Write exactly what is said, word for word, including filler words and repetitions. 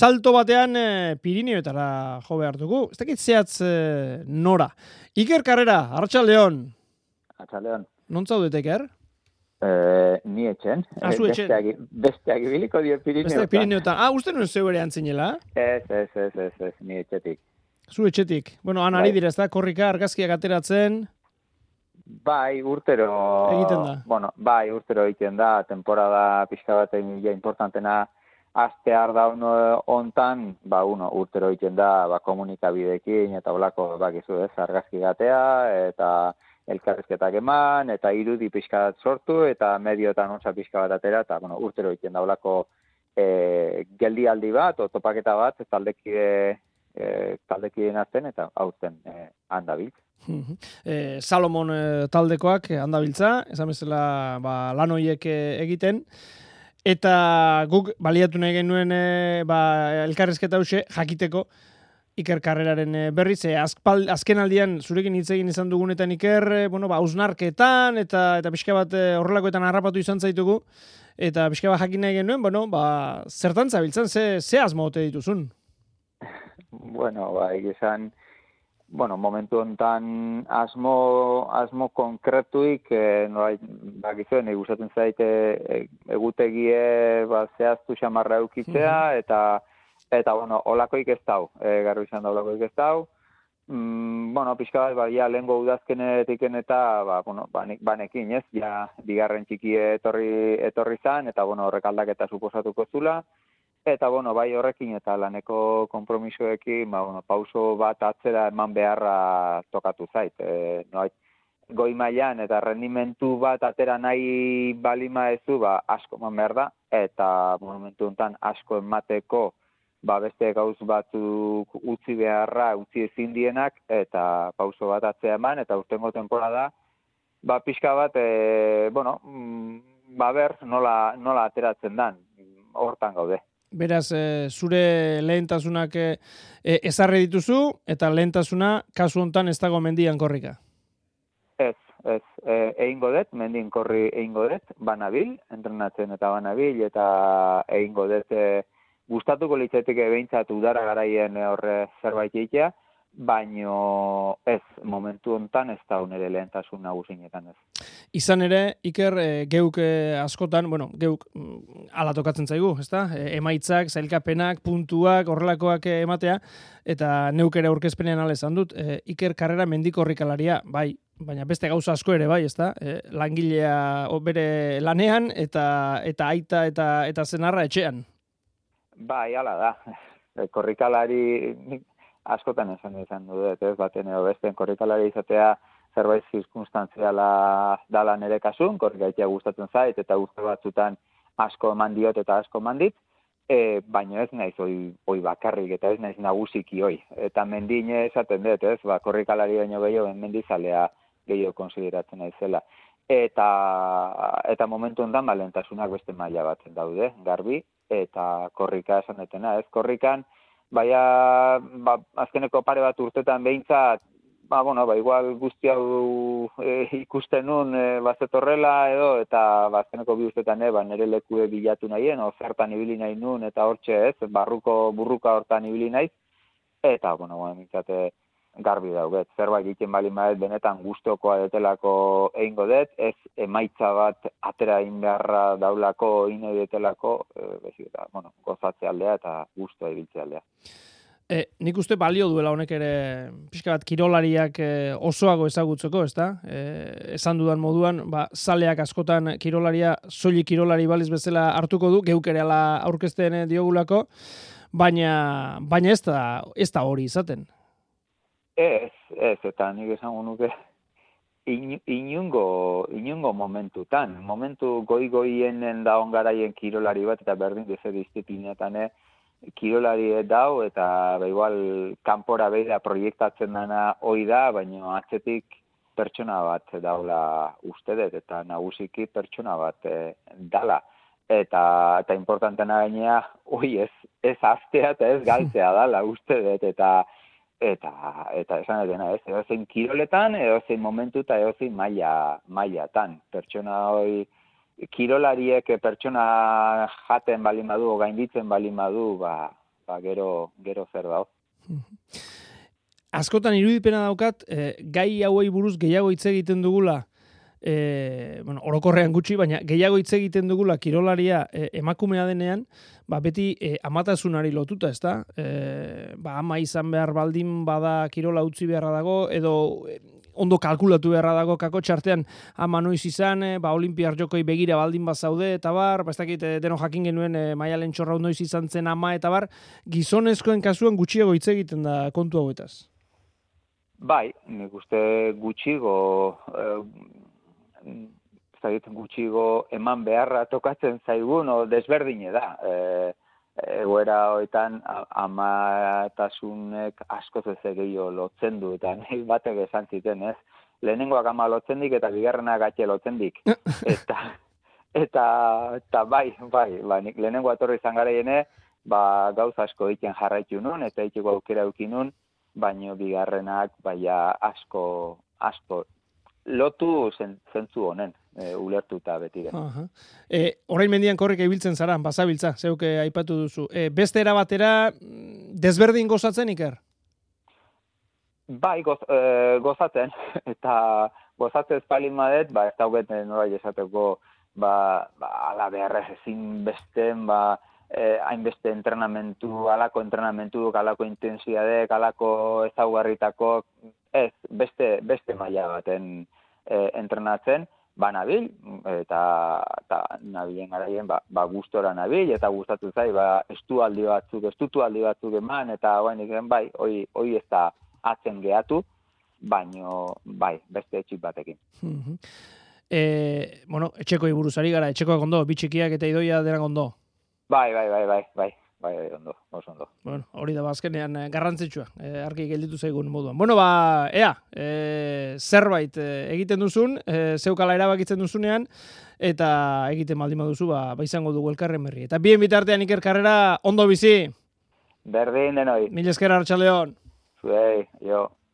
salto batean e, Pirineoetara jo behar dugu. Ez dakit zehatz e, nora. Iker Carrera, Arratsaldeon. Arratsaldeon. Non zaudete, Iker? Eh, ni etxen. Ah, zu etxen. Besteak, besteak ibiliko dio Pirineotan. Besteak Pirineotan. Ah, uste nuen zeu ere antzinela? Ez, ez, ez, ez, ez, ni etxetik. Zu etxetik. Bueno, han ari dira, ez da, korrika, argazkiak ateratzen. Bai, urtero... Egiten da. Bueno, bai, urtero egiten da, temporada pixka bat ja importantena astear da uno hontan, ba, uno, urtero egiten da, ba, komunikabidekin, eta holako, bakizu ez, argazki gatea, eta elkarrizketak eman, eta irudi pixka bat sortu, eta medioetan ontsa pixka bat atera, eta, bueno, urtero egiten da holako e, geldialdi bat, o topaketa bat, taldekide, e, taldekideen azten, eta hauten e, handabiltz. E, Salomon e, taldekoak handabiltza, esan bezala ba, lan horiek e, egiten, eta guk baliatu nahi genuen e, ba, elkarrizketa hause jakiteko Iker Carreraren e, berriz, e, azpal, azken aldian zurekin hitz egin izan dugunetan Iker, e, bueno, ba, ausnarketan eta eta pixka bat e, horrelakoetan harrapatu izan zaitugu, eta pixka bat jakin nahi genuen, bueno, ba, zertan zabiltzan, ze, ze asmo ote dituzun? Bueno, ba, egizan, bueno, momentu hontan asmo, asmo konkretuik, e, nola, bakizuen, egustatzen zaite e, egutegie ba, zehaztu xamarra eukitzea, eta, eta bueno, olakoik ez dau, e, garbi izan da olakoik ez dau. Mm, bueno, pixka bat, ba, ja, lehengo udazkenetiken eta, ba, bueno, banek, banekin, ez, ja, bigarren txiki etorri, etorri zan, eta, bueno, horrek aldaketa suposatuko zula. Eta, bueno, bai horrekin eta laneko konpromisoekin, ba, bueno, pauso bat atzera eman beharra tokatu zait. E, no, goi mailan eta rendimentu bat atera nahi balima ezu, ba, asko eman behar da, eta momentu honetan asko emateko, ba, beste gauz batzuk utzi beharra, utzi ezin dienak, eta pauso bat atzera eman, eta urtengo temporada, ba, pixka bat, e, bueno, ba, ber, nola, nola ateratzen dan, hortan gaude. Beraz, e, zure lehentasunak e, ezarri dituzu, eta lehentasuna kasu hontan ez dago mendian korrika. Ez, ez, e, egingo dut, mendin korri egingo dut, banabil, entrenatzen eta banabil, eta egingo dut e, gustatuko litzatik behintzat udara garaien horre zerbait egitea, baino ez, momentu hontan ez da nire lehentasun nagusinetan ez. Izan ere, Iker, e, geuk e, askotan, bueno, geuk mm, ala tokatzen zaigu, ezta? E, emaitzak, zailkapenak, puntuak, horrelakoak e, ematea, eta neuk ere aurkezpenean ala esan dut, e, Iker Carrera mendikorrikalaria, bai, baina beste gauza asko ere bai, ezta? E, langilea bere lanean, eta eta aita eta eta senarra etxean. Bai, hala da. E, korrikalari askotan esan izan dut, ez baten edo besten korrikalari izatea zerbait zirkunstantziala dala nire kasun, korrikaitea gustatzen zait, eta urte batzutan asko eman diot eta asko eman dit, e, baina ez naiz oi, oi bakarrik, eta ez naiz nagusiki oi. Eta mendine esaten dut, ez, ba, korrikalari baino gehiago, mendizalea gehiago konsideratzen naizela. Eta, eta momentu ondan balentasunak beste maila bat daude, garbi, eta korrika esan detena, ez, korrikan, baina, ba, azkeneko pare bat urtetan behintzat, ba, bueno, ba, igual guzti hau e, ikusten nun e, bazetorrela edo, eta ba, azkeneko bi urtetan e, ba, nire lekue bilatu nahien, ofertan ibili nahi nun, eta hortxe ez, barruko burruka hortan ibili naiz, eta, bueno, ba, mintzate, garbi dauget, zerbait egiten bali maet benetan gustokoa detelako egingo dut, ez emaitza bat atera egin beharra daulako, ine detelako, e, bezik, eta, bueno, gozatze aldea eta gustoa ibiltze aldea. E, nik uste balio duela honek ere pixka bat kirolariak e, osoago ezagutzeko, ezta? E, esan dudan moduan, ba, zaleak askotan kirolaria, soilik kirolari baliz bezala hartuko du, geuk ere ala aurkezten diogulako, baina, baina ez da, ez da hori izaten. Ez, ez, eta nik esango nuke in, inungo, inungo momentutan, momentu goi-goienen da ongaraien kirolari bat, eta berdin dezer disziplinetan, eh? Kirolari dau, eta ba, igual kanpora beira proiektatzen dana hoi da, baina atzetik pertsona bat daula uste dut, eta nagusiki pertsona bat e, dala. Eta, eta importantena gainea, hoi ez, ez aztea eta ez galtzea dala uste dut, eta Eta, eta esan edena, ez, edozein kiroletan, edozein momentu eta edozein maila, mailatan. Pertsona hoi, kirolariek pertsona jaten balin badu, gainditzen balin badu, ba, ba, gero, gero zer dago. Askotan irudipena daukat, eh, gai hauei buruz gehiago hitz egiten dugula, e, bueno, orokorrean gutxi, baina gehiago hitz egiten dugula kirolaria e, emakumea denean, ba, beti e, amatasunari lotuta, ez da? E, ba, ama izan behar baldin bada kirola utzi beharra dago, edo e, ondo kalkulatu beharra dago kako txartean ama noiz izan, e, ba, olimpiar jokoi begira baldin bazaude, eta bar, ba, ez dakit, e, deno jakin genuen e, Maialen Txorrau noiz izan zen ama, eta bar, gizonezkoen kasuan gutxiago hitz egiten da kontu hauetaz. Bai, nik uste gutxigo, eh, gutxigo eman beharra tokatzen zaigun, o desberdine da. E, egoera hoetan amatasunek askoz ez gehiago lotzen du, eta nahi batek esan ziten, ez? Lehenengoak ama lotzen dik, eta bigarrenak atxe lotzen dik. Eta, eta, eta bai, bai, ba, nik lehenengo atorri izan garaiene, ba, gauz asko egiten jarraitu nun, eta egiteko aukera eukin nun, baino bigarrenak baina asko, asko lotu zentzu honen, e, ulertuta beti den. Uh-huh. E, orain mendian korrika ibiltzen zara, bazabiltza, zeuke aipatu duzu. E, beste erabatera desberdin gozatzen, Iker? Bai, goz, e, gozatzen, eta gozatzen espalin madet, ba, ez dauget norai esateko, ba, ba, ala beharrez ezin besten, ba, Eh, hainbeste entrenamentu, alako entrenamentu, alako intensidadek, alako ezaugarritako, ez, beste, beste maila baten eh, entrenatzen, ba nabil, eta, eta nabilen garaien, ba, ba gustora nabil, eta gustatu zai, ba estualdi batzuk, estutu aldi batzuk eman, eta bain iken, bai, hoi, hoi ez da atzen gehatu, baino, bai, beste etxik batekin. Mm-hmm. E, bueno, etxekoi buruzari gara, etxekoak ondo, bitxikiak eta idoia denak ondo. Bai, bai, bai, bai, bai, bai, ondo, oso ondo. Bueno, hori da bazkenean garrantzitsua, e, argi gelditu zaigun moduan. Bueno, ba, ea, e, zerbait e, egiten duzun, e, zeukala erabakitzen duzunean, eta egiten baldin baduzu, ba, ba izango dugu elkarren berri. Eta bien bitartean Iker Karrera, ondo bizi. Berdin denoi. Mil esker, Arratsaldeon. Zuei, jo.